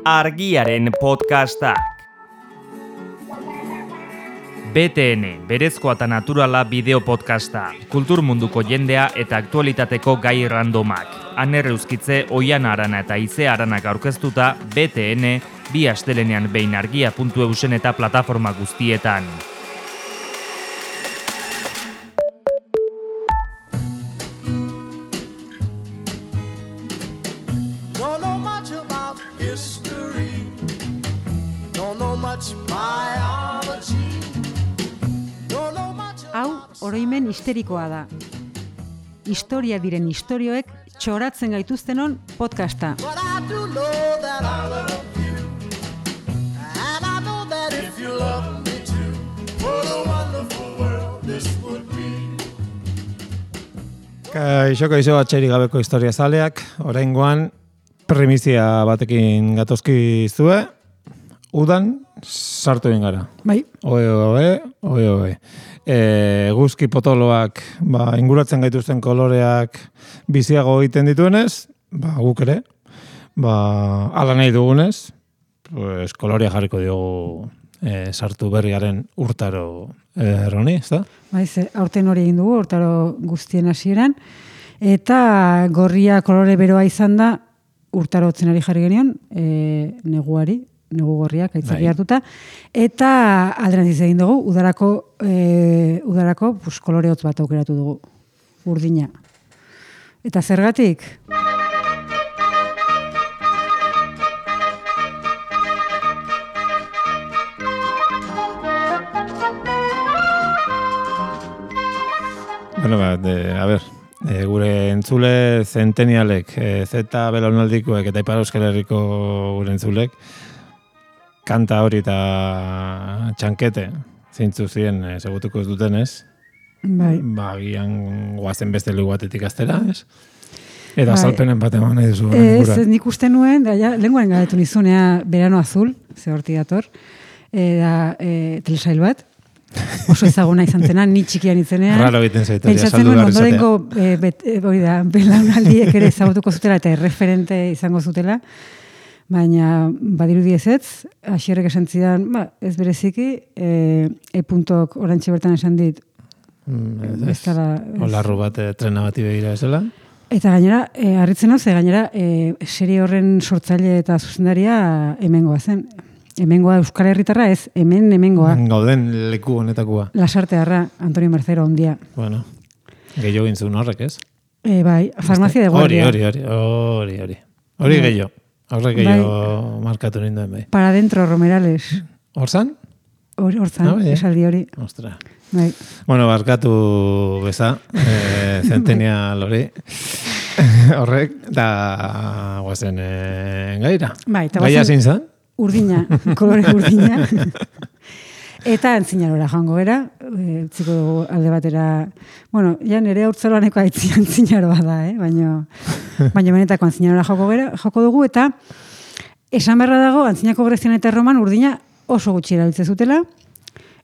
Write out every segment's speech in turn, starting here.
Argiaren podcastak. BTN, berezkoa eta naturala bideo podcasta. Kultur munduko jendea eta aktualitateko gai randomak. Aner Euskitze, Oiana Arana eta Ize Aranak aurkeztuta BTN, bi astelenean behin argia.eusen eta plataforma guztietan. Oroimen histerikoa da. Historia diren istorioek txoratzen gaituztenon podcasta. Kaixo atxerik gabeko historia zaleak, oraingoan primizia batekin gatozki zue, udan sartu egin gara. Bai. Oe. Guzki potoloak inguratzen gaituzten koloreak biziago egiten dituenez, guk ere, ala nahi dugunez, kolorea jarriko diogu sartu berriaren urtaro erroni, ez da? Aurten hori egin dugu, urtaro guztien hasieran, eta gorria kolore beroa izan da urtaro otzenari jarri genion, negu gorriak aitzaki hartuta, eta alderantziz egin dugu, udarako kolore hotz bat aukeratu dugu, urdina. Eta zergatik? Bueno, gure entzule zentenialek, zeta belaunaldikoek eta Ipar Euskal Herriko gure entzulek, kanta hori eta txankete zeintzu ziren segutuko ez dutenez. Bai. Gian guazen beste lugu batetik aztera, ez? Eta salpenen bat eman nahi duzu. Ez, nik uste nuen, lenguaren galetu nizunea Verano Azul, ze horti dator, telesail bat, oso ezaguna izan zena, ni txikian izenean. Raro egiten zaitaria, saldu behar izatea. Pentsatzen hori da, belaunaldiek ere ezagutuko zutela eta erreferente izango zutela. Baina badirudi ezetz, Asierrek esan zidan, ez bereziki, e-puntok orantxe bertan esan dit. Olarru bat trena bati begira ezela. Eta gainera, harritzen hau, gainera, serie horren sortzaile eta zuzendaria hemengoa zen. Hemengoa Euskal Herritarra ez, hemengoa. Gauden leku honetakoa. Lasartearra, Antonio Mercero ondia. Bueno, gehiago gintzun horrek ez? Bai, farmazia de guardia. Hori gehiago. Horrek gehiago markatu ninduen bai. Para dentro, Romerales. Horzan? Horzan, esaldi hori. Ostra. Bai. Bueno, barkatu beza, zentenial hori. Horrek, da guazen gaira. Bai, eta gaia zin zan? Urdina, kolore urdina. Eta antzinarora joango gara, utziko dugu alde batera, bueno, ja nire haurtzaroaneko antzinaroa da, baina benetako antzinarora joko dugu, eta esan beharra dago, antzinako grezian eta Roman urdina oso gutxi erabiltzen zutela,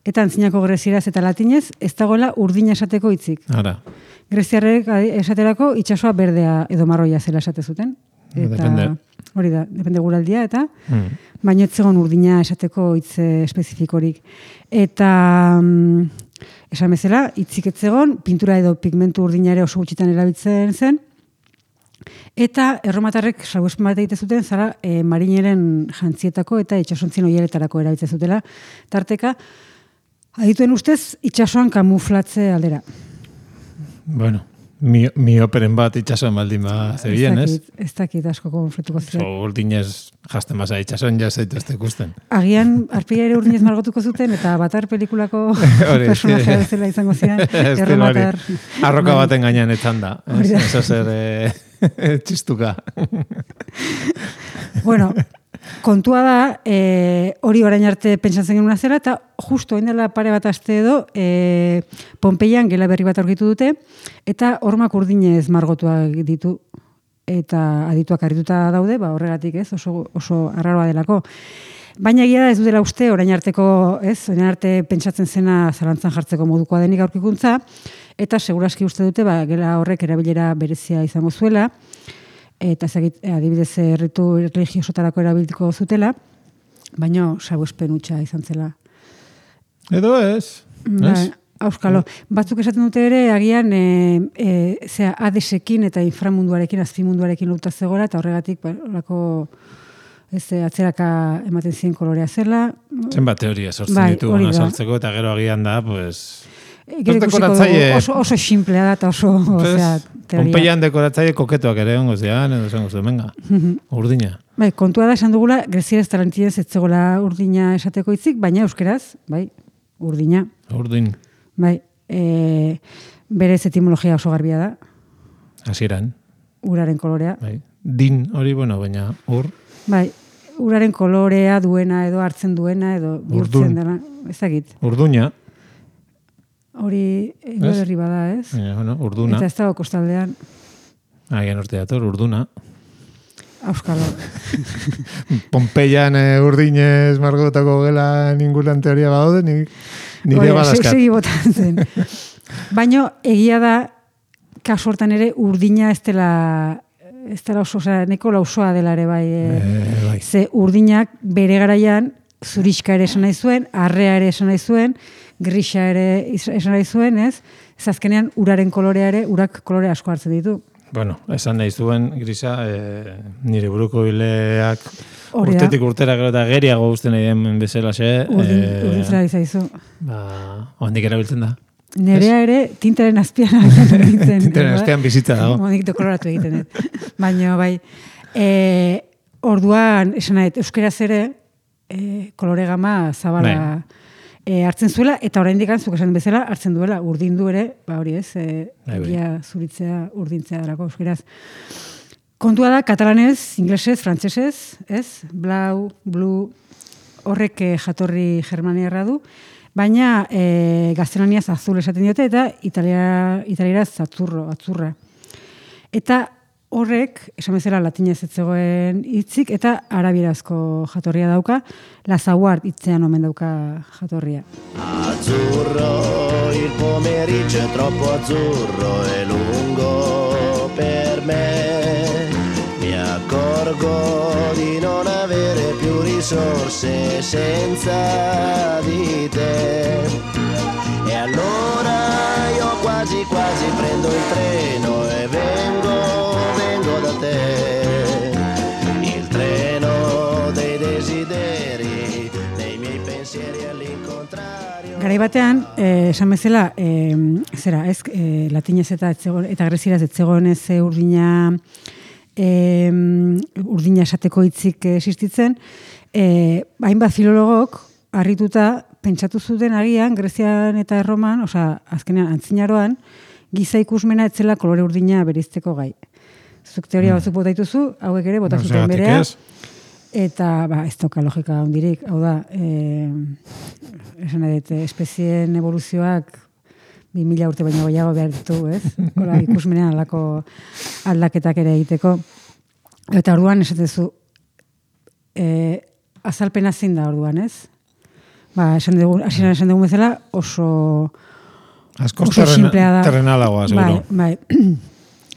eta antzinako grezieraz eta latinez ez dagoela urdina esateko hitzik. Ara. Greziarrek esaterako itsasoa berdea edo marroia zela esate zuten. Depende. Hori da, depende guraldia, eta baina ez zegoen urdina esateko hitz espezifikorik. Eta esan bezala, hitzik ez zegoen, pintura edo pigmentu urdina ere oso gutxitan erabiltzen zen, eta erromatarrek salbuespen bat egite zuten, zara marineren jantzietako eta itsasontzien oieletarako erabiltzen zutela, tarteka, adituen ustez, itsasoan kamuflatze aldera. Bueno. Mioperen bat itxasoan baldin zebien, ez? Ez dakit asko konfletuko ziren. Urdinez jasten basa itxasoan jazaitu ez ikusten. Agian, arpila ere urdinez margotuko zuten, eta Batar pelikulako personajea bezala izango ziren. Erromatar. Arroka baten gainean etzan da. Eso zer txistuka. Bueno, kontua da, hori orain arte pentsatzen genuen zela, eta justo indela pare bat aste edo, Pompeian gela berri bat aurkitu dute, eta hormak urdinez margotuak ditu, eta adituak argituta daude, horregatik ez, oso arraroa delako. Baina egia da ez dutela uste, orain orain arte pentsatzen zena zalantzan jartzeko modukoa denik aurkikuntza, eta seguraski uste dute, gela horrek erabilera berezia izango zuela, eta adibidez erritu religiosotarako erabiliko zutela, baina salbuespen hutsa izan zela. Edo ez? Auskalo. Batzuk esaten dute ere, agian Hadesekin eta inframunduarekin, azpimunduarekin lotuta zegoela, eta horregatik atzeraka ematen ziren kolorea zela. Zenbat teoria sortzen ditu azaltzeko, eta gero agian da, oso simplea da, eta oso teoria. Pompeian dekoratzaile koketoak ere ongo zian, edo zengo zuen, venga, urdina. Kontua da, esan dugula, grezieraz tarantinez ez zegoela urdina esateko hitzik, baina euskeraz, urdina. Urdin. Berez etimologia oso garbia da. Hasieran. Uraren kolorea. Din hori, baina ur. Uraren kolorea duena edo hartzen duena edo bihurtzen dela. Ezagit. Urduña. Hori herri bada, ez? Urduna. Eta ez dago kostaldean. Agian urte dator, urduna. Auskalo. Pompeian urdinez margotako gela ningulan teoria badaude, nire badaskat. Segi botan zen. Baina egia da, kasu hortan ere, urdina ez dela oso, neko lausoa dela ere bai. Ze urdinak bere garaian zurixka ere esan nahi zuen, arrea ere esan nahi zuen, grisa ere esan nahi zuen, ez? Ez azkenean uraren kolorea ere, urak kolore asko hartzen ditu. Esan nahi zuen, grisa, nire buruko bileak urtetik urtera gero eta geriago guztien nahi den bezala xe. Urdin zela izaizu. Ondik erabiltzen da. Nerea ere tintaren azpian egiten. Tintaren azpian bizitza dago. Ondik dekoloratu egiten. Baina, orduan, esan nahi, euskeraz ere, kolore gama zabala hartzen zuela, eta oraindik zuk esan bezala hartzen duela, urdindu ere, hori ez, egia zuritzea, urdintzea darako euskeraz. Kontua da, katalanez, inglesez, frantsesez, ez? Blau, blue, horrek jatorri germaniarra du, baina gaztelaniaz azul esaten diote, eta italieraz atzurra. Eta horrek, esan bezala latinez ez zegoen hitzik, eta arabierazko jatorria dauka, lazaguart hitzean omen dauka jatorria. Azzurro, il pomeriggio è troppo azzurro e lungo per me. Mi accorgo di non avere più risorse senza di te. E allora io quasi prendo il treno e vengo da te. Il treno dei desideri, dei miei pensieri all'incontrario. Garai batean, esan bezala, latinez eta grezieraz ez zegoen ez urdina esateko hitzik existitzen, hainbat filologok harrituta pentsatu zuten agian Grezian eta Erroman, azkenean antzinaroan, giza ikusmena etzela kolore urdina bereizteko gai. Zuk teoria batzuk bota dituzu, hauek ere bota zuten berea. Eta ez dauka logika hondirik, hau da, esan edet, espezien evoluzioak 2000 urte baino gehiago behar ditu, ez? Ikusmenean alako aldaketak ere egiteko. Eta orduan esatezu, azalpena zein da orduan, ez? Esan dugun bezala oso simplea da. Terrenalagoa, seguro. Bai.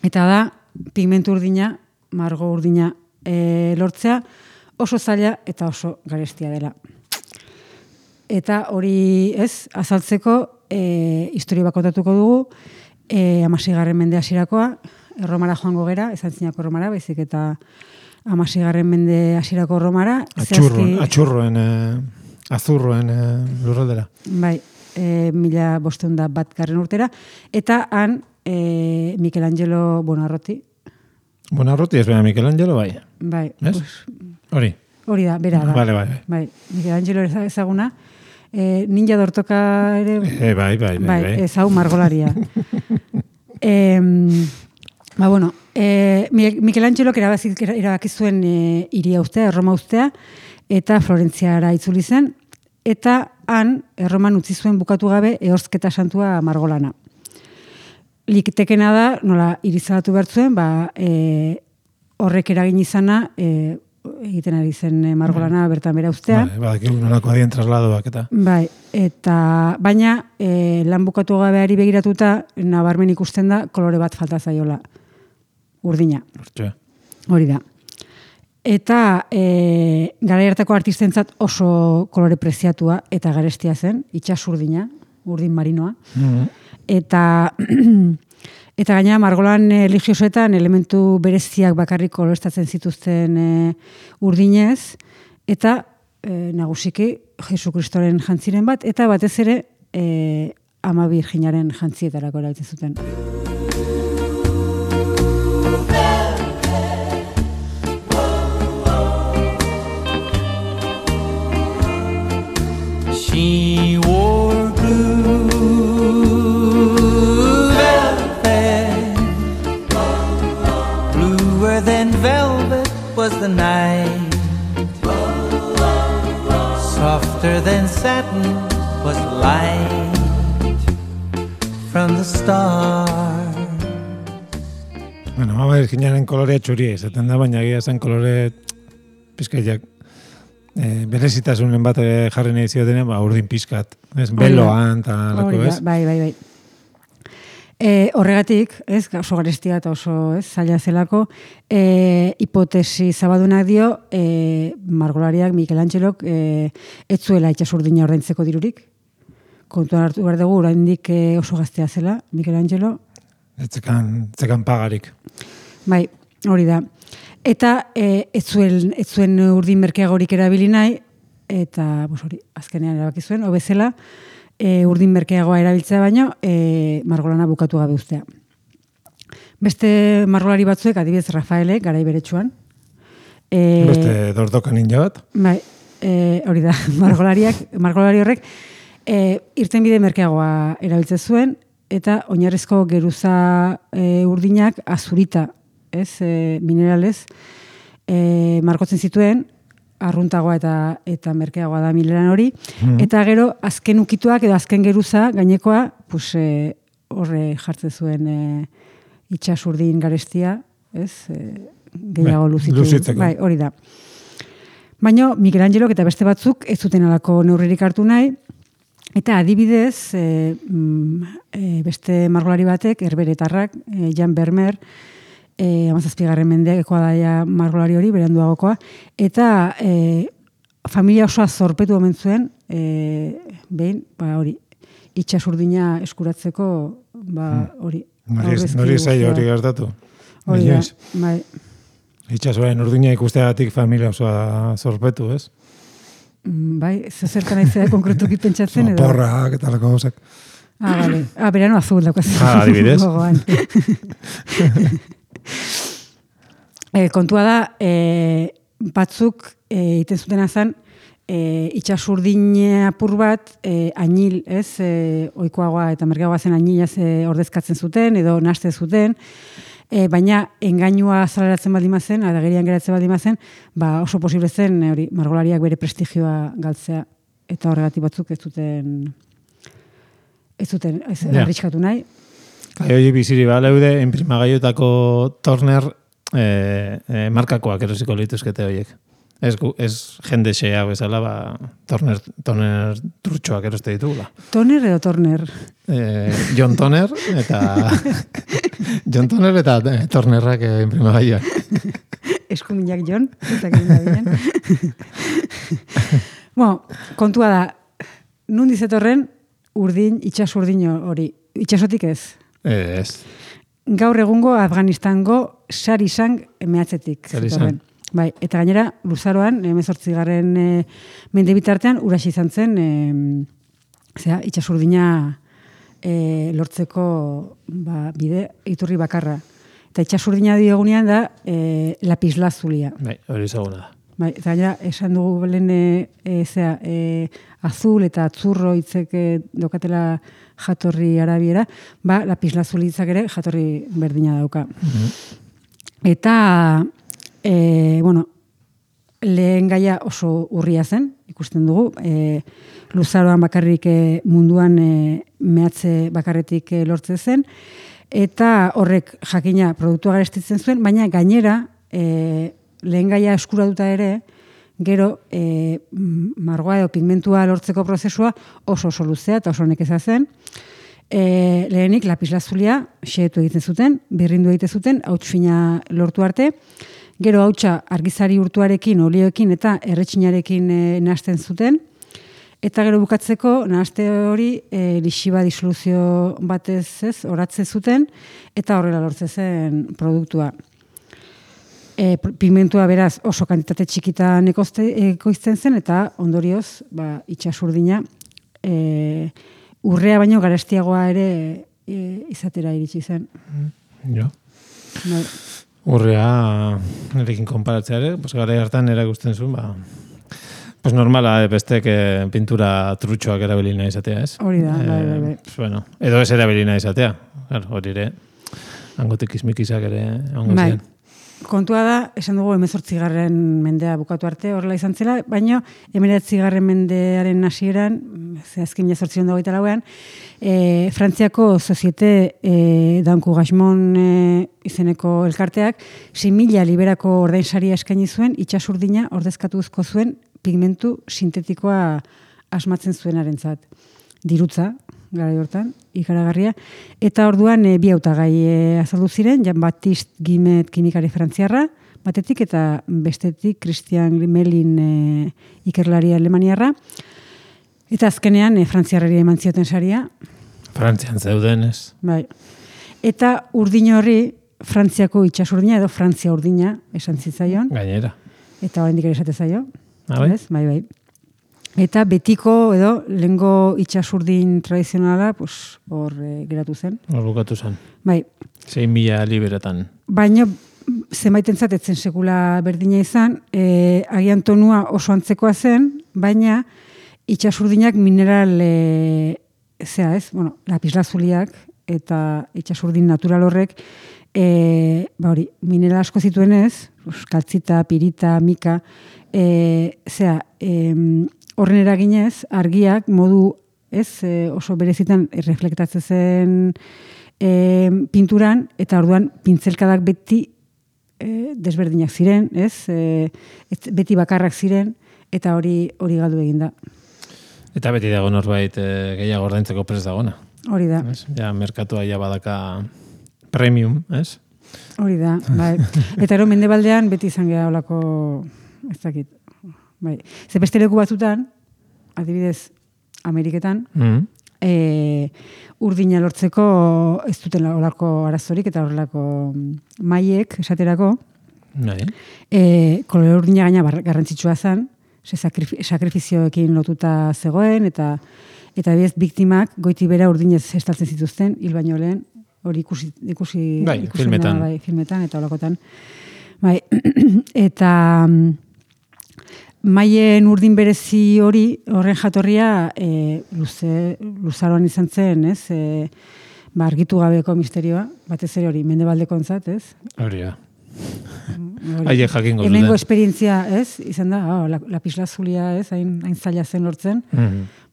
Eta da, pigmentu urdina, margo urdina lortzea, oso zaila eta oso garestia dela. Eta hori azaltzeko historia bakotatuko dugu, 16. mende hasirakoa, Erromara joango gera, ez antzinako Erromara, baizik eta 16. mende hasirako Erromara. Azurroen lurraldera. Bai, 1501 urtera, eta han Michelangelo Buonarroti. Buonarroti ez bera Michelangelo, bai. Bai. Hori da, bera da. Bai. Michelangelo ezaguna. Ninja dortoka ere... Bai. Ezau margolaria. Michelangelok erabaki zuen hiria ustea, Erroma ustea, eta Florentziara itzuli zen, eta han Erroman utzi zuen bukatu gabe Ehorzketa santua margolana. Litekena da, nola irizalatu behar zuen, horrek eragin izana egiten ari zen margolana bertan bera ustea. Bai, nolako adien trasladoak eta. Bai, baina lan bukatu gabeari begiratuta nabarmen ikusten da kolore bat falta zaiola, urdina. Hori da. Eta garai hartako artistentzat oso kolore preziatua eta garestia zen, itsasurdina, urdin marinoa. Eta gainera margolan religiosoetan elementu bereziak bakarrik koloreztatzen zituzten urdinez, eta nagusiki Jesu Kristoren jantziren bat, eta batez ere Ama Birjinaren jantzietarako erabiltzen zuten. She wore blue velvet, bluer than velvet was the night, softer than satin was light from the start. Bueno, Ama Birjinaren kolorea txuria izaten da, baina egia zen kolore pizkaiak berezitasunen bat jarri nahi ziotenean, urdin pizkat, ez, beloan, eta lako, ez? Bai. Horregatik, ez, oso garestia eta oso zaila zelako, hipotesi zabadunak dio, margolariak Michelangelok ez zuela itsasurdina ordaintzeko dirurik. Kontuan hartu behar dugu, oraindik oso gaztea zela, Michelangelo. Etzekan pagarik. Bai, hori da. Eta ez zuen urdin merkeagorik erabili nahi, eta hori, azkenean erabaki zuen, hobezela urdin merkeagoa erabiltzea baino, margolana bukatu gabe ustea. Beste margolari batzuek, adibidez Rafaelek, garai beretsuan. Beste dordoka ninja bat. Bai, hori da, margolari horrek, irtenbide merkeagoa erabiltzen zuen, eta oinarrizko geruza urdinak azurita, mineralez, margotzen zituen, arruntagoa eta merkeagoa da mineran hori, eta gero azken ukituak edo azken geruza gainekoa, horre jartzen zuen itsasurdin garestia, gehiago luzitzeko. Bai, hori da. Baina Michelangelok eta beste batzuk ez zuten alako neurririk hartu nahi, eta adibidez, beste margolari batek, herberetarrak, Jan Vermeer, 17. mendekoa daia margolari hori, beranduagokoa, eta familia osoa zorpetu omen zuen, behin, hori, itsasurdina eskuratzeko, hori. Nori zaila hori gertatu? Hori da, bai. Itsasoaren urdina ikusteagatik familia osoa zorpetu, ez? Bai, zertan aizea konkretuki pentsatzen edo? Porrak eta lako gauzak. Bale. Berano azul daukaz. Adibidez. Kontua da, batzuk iten zuten azan, itsasurdin apur bat, añil, ez, oikoagoa eta merkeagoa zen añilaz ordezkatzen zuten, edo naste zuten, baina engainua azaleratzen baldin mazen, adagerian geratzen baldin mazen, oso posible zen, margolariak bere prestigioa galtzea, eta horregatik batzuk ez zuten arriskatu nahi. Hori biziri baleude, enprimagaiotako Turner markakoak erosiko lituzkete horiek. Ez jende xea bezala, Turner trutxoak eroste ditugula. Toner edo Turner? John Toner eta Turnerrak enprimagaioak. Eskuminak John, ezakin da binen. Kontua da, nundi zetorren urdin, itsasurdin hori. Itsasotik ez? Ez. Gaur egungo Afganistango Sarisang mehatzetik zetorren. Bai, eta gainera, luzaroan, 18. Mende bitartean, urasi izan zen, itsasurdina lortzeko bide iturri bakarra. Eta itsasurdina diogunean da lapislazulia. Bai, hori ezaguna da. Bai, eta gainera, esan dugu belen azul eta atzurro hitzek dokatela jatorri arabiera, lapislazuli hitzak ere jatorri berdina dauka. Eta lehen gaia oso urria zen, ikusten dugu, luzaroan bakarrik munduan mehatze bakarretik lortzen zen, eta horrek jakina produktua garestitzen zuen, baina gainera lehen gaia eskuratuta ere, gero margoa edo pigmentua lortzeko prozesua oso luzea eta oso nekeza zen. Lehenik lapislazulia xehetu egiten zuten, birrindu egiten zuten, hauts fina lortu arte, Gero hautsa argizari urtuarekin, olioekin eta erretxinarekin nahasten zuten. Eta gero bukatzeko, nahaste hori lixiba disoluzio batez oratze zuten, eta horrela lortzen zen produktua. Pigmentua beraz oso kantitate txikitan ekoizten zen, eta ondorioz, itsasurdina urrea baino garestiagoa ere izatera iritsi zen. Jo. Urrea nerekin konparatzea ere, gara hartan erakusten zuen, normala, bestek pintura trutxoak erabilina izatea, ez? Hori da, bai. Bueno, edo ez erabilina izatea, hori ere, hangotik izmikizak ere, hango zian. Kontua da, esan dugu 18. mendea bukatu arte, horrela izan zela, baina 19. mendearen hasieran, azken 1828an, Frantziako Societe d'Encouragement izeneko elkarteak 6.000 liberako ordainsaria eskaini zuen, itsasurdina ordezkatuzko zuen pigmentu sintetikoa asmatzen zuenarentzat. Dirutza, garai hortan, ikaragarria. Eta orduan bi hautagai azaldu ziren, Jean-Baptiste Guimet kimikari frantziarra, batetik eta bestetik Christian Grimelin ikerlari alemaniarra. Eta azkenean frantziarrari eman zioten saria. Frantzian zeuden, ez? Bai. Eta urdin horri Frantziako itsasurdina edo Frantzia urdina esan zitzaion. Gainera. Eta oraindik ere esate zaio. Bai. Bai. Eta betiko edo lehengo itsasurdin tradizionala hor geratu zen. Hor bukatu zen. Bai. 6.000 liberetan. Baina zenbaitentzat etzen sekula berdina izan, agian tonua oso antzekoa zen, baina itsasurdinak mineral lapislazuliak eta itsasurdin natural horrek mineral asko zituenez, kaltzita, pirita, mika, horren eraginez, argiak modu oso berezitan reflektatzen zen pinturan, eta orduan pintzelkadak beti desberdinak ziren, beti bakarrak ziren, eta hori galdu eginda. Eta beti dago norbait gehiago ordaintzeko prest dagona. Hori da. Ja, merkatua ja badaka premium, ez? Hori da, bai. Eta ero mendebaldean beti izan geha olako, ez dakit, bai. Ze beste leku batzutan, adibidez, Ameriketan, urdina lortzeko ez duten olako arazorik eta horrelako maiek esaterako, kolore urdina gaina garrantzitsua zen, sakrifizioekin lotuta zegoen, eta bez biktimak goiti bera urdinez estaltzen zituzten, hil baino lehen, hori ikusi filmetan. Bai, filmetan eta holakotan. Bai, eta maien urdin berezi horren jatorria luzaroan izan zen, ez? Argitu gabeko misterioa, batez ere hori, mendebaldekontzat, ez? Hori da. Haiek jakingo zuten. Hemengo esperientzia, ez? Izan da, lapislazulia, ez? Hain zaila zen lortzen.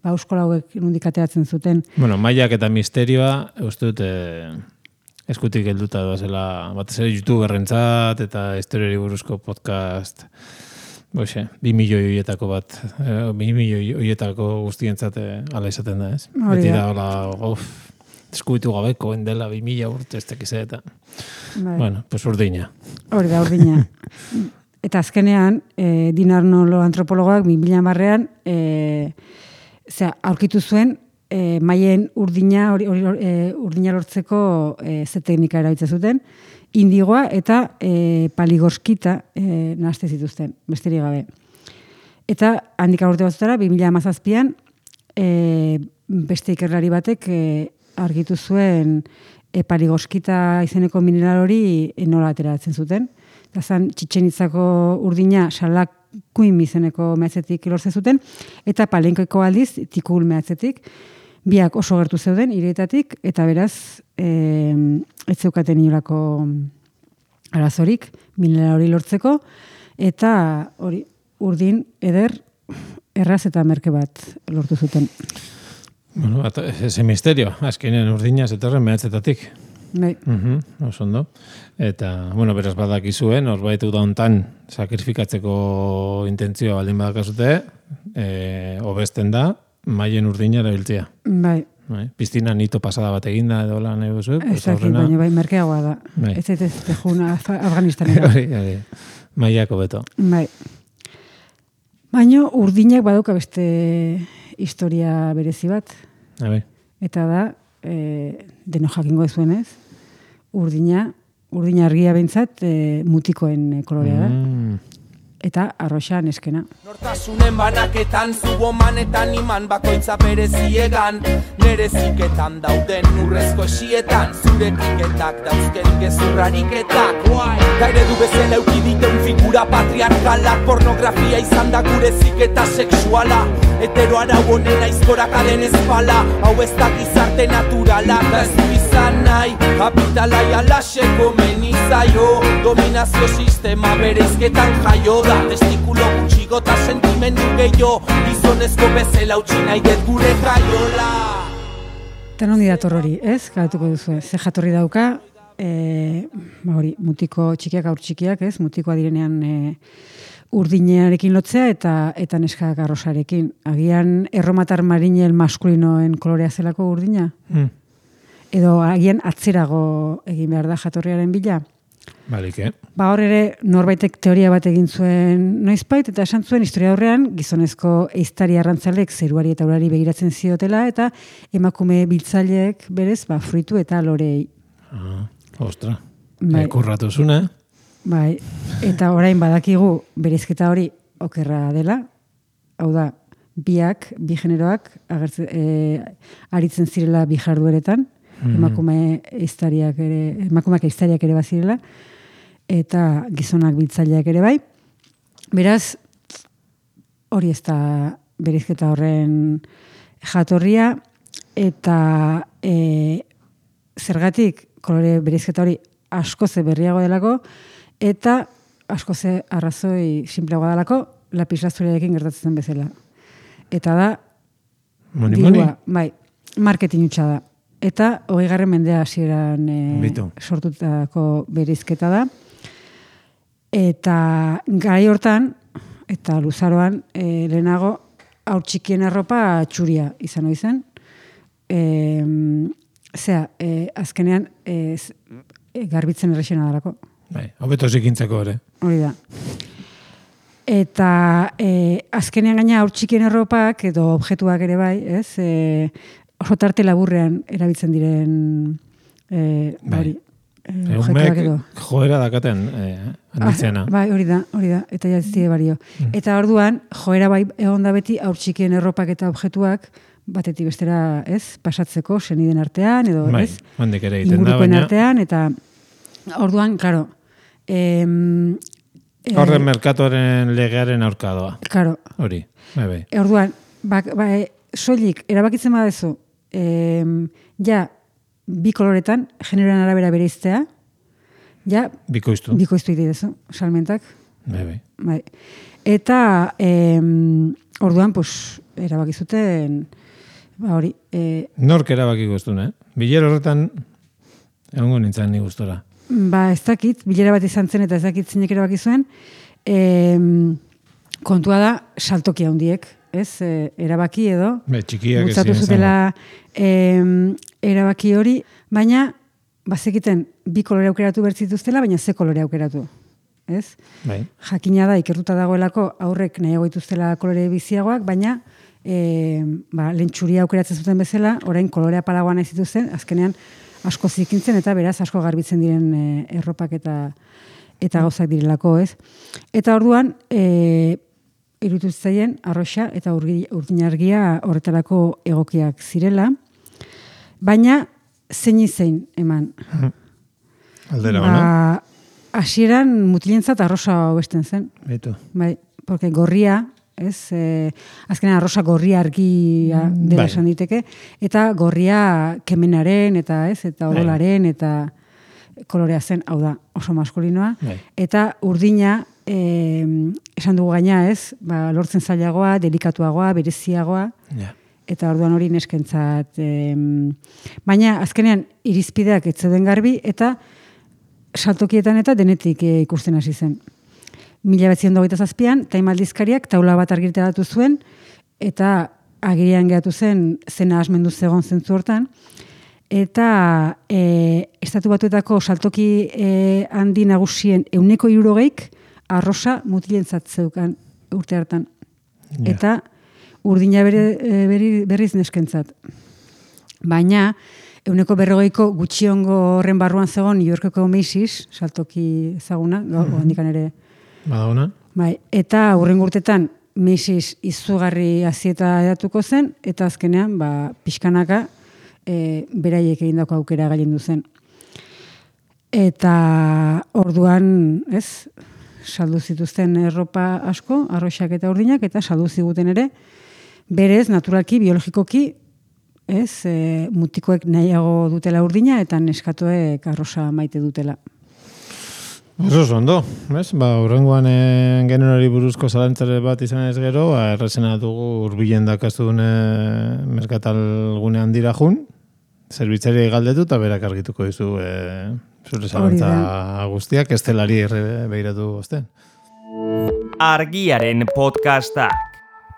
Euskola hauek nondik ateratzen zuten. Bueno, maiak eta misterioa, uste dut, eskutik helduta doazela, batez ere youtuberrentzat eta historiari buruzko podcast, 2 milioi horietako bat, 2 milioi horietako guztientzat ala izaten da, ez? Beti da, hola, eskubitu gabeko, endela 2000 urte, ez tekize eta... Bueno, pues urdina. Hori da, urdina. Eta azkenean, Dinarnolo antropologoak 2010an aurkitu zuen maien urdina lortzeko ze teknika erabiltzen zuten, indigoa eta paligorskita nahazte zituzten, besterik gabe. Eta handik urte batzutara, 2017an beste ikerlari batek argitu zuen paligorskita izeneko mineral hori nola ateratzen zuten. Eta zan Txitxenitzako urdina Salakuim izeneko mehatzetik lortzen zuten, eta Palenkoeko aldiz Tikul mehatzetik. Biak oso gertu zeuden, hirietatik, eta beraz, ez zeukaten inolako arazorik mineral hori lortzeko, eta hori urdin eder erraz eta merke bat lortu zuten. Bueno, ese misterio, azkenen urdina zetorren mehatzetatik. Bai. Oso ondo. Eta, bueno, beraz badakizuen, horbait da hontan sakrifikatzeko intentzioa baldin badakazute, hobesten da, maien urdina erabiltzea. Bai. Piztina nito pasada bat eginda edo lan edo zu. Ez dakit, baina bai, merkeagoa da. Bai. Ez juna Afganistanera. Hori, mailako beto. Bai. Baina urdinak badauka beste historia berezi bat. Eta da, deno jakingo zuenez, urdina argia behintzat mutikoen kolorea da. Eta arroxa neskena. Nortasunen banaketan, zubomanetan iman bakoitza bereziegan, nere ziketan dauden urrezko esietan, zure kliketak dauzken gezurrariketak. Gaire du bezala eukiditeun figura patriarkalak, pornografia izan da gure ziketa sexuala, hetero arau honen aizkorak aden ezpala, hau ez da gizarte naturala, da ez du izan nahi, kapitalai alaxeko menizaio, dominazio sistema bereizketan jaio da, testikulo gutxigo eta sentimendu gehiago, gizonezko bezala utzi nahi dut gure jaiola. Eta nondi dator hori, ez? Galatuko duzu, ze jatorri dauka, hori, mutiko txikiak, aur txikiak, ez? Mutikoa direnean urdinearekin lotzea eta neskak arrosarekin. Agian erromatar marinel maskulinoen kolorea zelako urdina? Edo agian atzerago egin behar da jatorriaren bila? Balik, Hor ere norbaitek teoria bat egin zuen noizbait, eta esan zuen historia horrean gizonezko ehiztari arrantzalek zeruari eta urari begiratzen ziotela, eta emakume biltzaileek berez fruitu eta lorei. Ostra, kurratu zune. Bai, eta orain badakigu bereizketa hori okerra dela, hau da, bi generoak aritzen zirela bi jardueretan, emakumeak ehiztariak ere bazirela, eta gizonak biltzaileak ere bai. Beraz, hori ez da bereizketa horren jatorria, eta zergatik kolore bereizketa hori askoze berriago delako, eta askoze arrazoi simpleagoa delako, lapislazuriarekin gertatzen bezala. Eta da, bai, marketing hutsa da. Eta 20. mendea hasieran sortutako bereizketa da. Eta garai hortan, eta luzaroan, lehenago, haur txikien arropa txuria izan hori zen. Azkenean, garbitzen errexena darako. Hobeto zikintzeko ere. Hori da. Eta azkenean gaina haur txikien arropak edo objektuak ere bai, ez? Oso tarte laburrean erabiltzen diren Eumek joera dakaten handitzena. Bai, hori da, eta jaztie bario. Eta orduan, joera bai egon da beti haur txikien erropak eta objektuak batetik bestera, ez, pasatzeko seniden artean, edo, ez, ingurukoen artean, eta orduan, klaro, horren merkatuaren legearen aurkadoa. Klaro. Hori, bai. Orduan, soilik, erabakitzen badezu, bi koloretan, generoan arabera bereiztea, bikoiztu idezu, salmentak. Bai. Eta, orduan, erabakizuten, hori. Nork erabaki guztun, Bilero horretan, egongo nintzen ni gustora. Ez dakit, bilera bat izan zen, eta ez dakit zinek erabaki zuen, kontua da, saltokia handiek, ez, erabaki edo, bultzatu zutela erabaki hori, baina, bazekiten, bi kolore aukeratu bertzituztela, baina ze kolore aukeratu, ez? Jakina da, ikertuta dagoelako, aurrek nahiago dituztela kolore biziagoak, baina, lehen txuria aukeratzen zuten bezala, orain kolorea palagoan nahi zituzten, azkenean, asko zikintzen, eta beraz, asko garbitzen diren erropak eta gauzak direlako, ez? Eta orduan, irutuztzaien arroxa eta urdinargia horretarako egokiak zirela, baina zein eman. Aldera ona? Hasieran mutilentzat arrosa hobesten zen. Beto. Bai, porque gorria, ez, azkenean arrosa gorria argia dela esan diteke, eta gorria kemenaren, eta ez, eta odolaren, eta kolorea zen, hau da, oso maskulinoa, eta urdina, esan dugu gaina, ez, lortzen zailagoa, delikatuagoa, bereziagoa, eta orduan hori neskentzat. Baina, azkenean, irizpideak ez zeuden garbi, eta saltokietan eta denetik ikusten hasi zen. 1927an, Time aldizkariak taula bat argitaratu zuen, eta agirian geratu zen zena asmendu zegoen zentzu hortan, eta Estatu Batuetako saltoki handi nagusien 160 arrosa mutilentzat zeukan urte hartan. Ja. Eta urdina berriz neskentzat. Baina, 140ko gutxiongo horren barruan zegoen New Yorkeko Macy's, saltoki ezaguna, handikan ere. Badaguna? Bai, eta hurrengo urtetan Macy's izugarri azieta edatuko zen, eta azkenean, pixkanaka, beraiek egindako aukera gailendu zen. Eta orduan, saldu zituzten erropa asko, arroxak eta urdinak, eta saldu ziguten ere, berez, naturalki, biologikoki, mutikoek nahiago dutela urdina, eta neskatoek arrosa maite dutela. Oso ondo, urrengoan generori buruzko zalantzare bat izan ez gero, errazena dugu urbilen dakaztun merkatal gune handira jun, zerbitzari galdetu eta berak argituko dizu zure zalantza guztiak, estelari behiratu osten. Argiaren podcastak.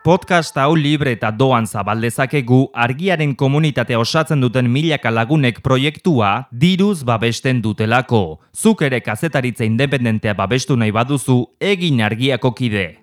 Podcast hau libre eta doan zabaldezakegu Argiaren komunitatea osatzen duten milaka lagunek proiektua diruz babesten dutelako. Zuk ere kazetaritza independentea babestu nahi baduzu, egin Argiako kide.